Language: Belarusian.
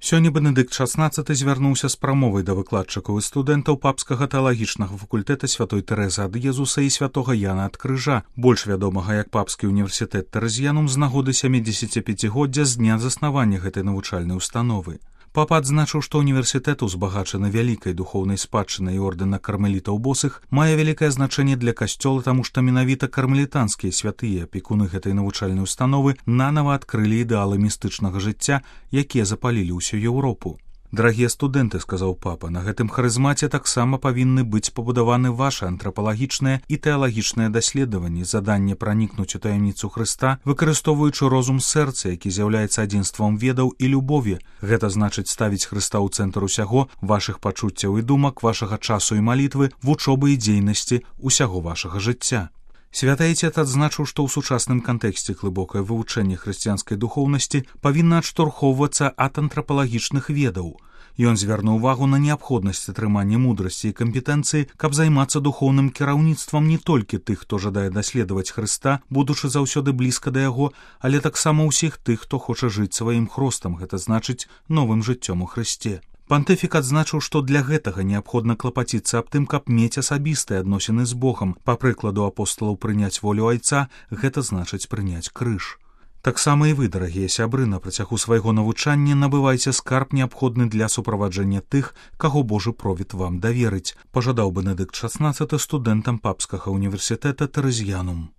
Сёння Бенедыкт XVI звярнуўся з прамовай да выкладчыкаў і студэнтаў папскага тэалагічнага факультэта святой Тэрэзы ад Езуса і святога Яна ад Крыжа, больш вядомага як Папскі універсітэт Тэрэзіянум з нагоды 75-годдзя з дня заснавання гэтай навучальнай установы. Папа адзначыў, што універсітэт, узбагачаны вялікай духоўнай спадчынай ордэна кармелітаў босых, мае вялікае значэнне для касцёла, таму што менавіта кармелітанскія святыя апекуны гэтай навучальнай установы нанава адкрылі ідэалы містычнага жыцця, якія запалілі ўсю Еўропу. «Дарагія студэнты», — сказаў папа, — «на гэтым харызмаце таксама павінны быць пабудаваны вашы антрапалагічныя і тэалагічныя даследаванні, заданне пранікнуць у таямніцу Хрыста, выкарыстоўваючы розум сэрца, які з'яўляецца адзінствам ведаў і любові. Гэта значыць ставіць Хрыста ў цэнтр усяго, вашых пачуццяў і думак, вашага часу і малітвы, вучобы і дзейнасці, усяго вашага жыцця». Святы Айцец адзначыў, што ў сучасным кантэксце глыбокае вывучэнне хрысціянскай духоўнасці павінна адштурхоўвацца ад антрапалагічных ведаў. Ён звярнуў увагу на неабходнасць атрымання мудрасці і кампетэнцыі, каб займацца духоўным кіраўніцтвам не толькі тых, хто жадае даследаваць Хрыста, будучы заўсёды блізка да яго, але таксама ўсіх тых, хто хоча жыць сваім хростам, гэта значыць новым жыццём у Хрысце. Пантыфік адзначыў, што для гэтага неабходна клапаціцца аб тым, каб мець асабістыя адносіны з Богам. Па прыкладу апосталаў прыняць волю Айца, гэта значыць прыняць крыж. Таксама і вы, дарагія сябры, на працягу свайго навучання набывайце скарб, неабходны для суправаджэння тых, каго Божы провід вам даверыць, пажадаў Бенедыкт XVI студэнтам Папскага універсітэта Тэрэзіянум.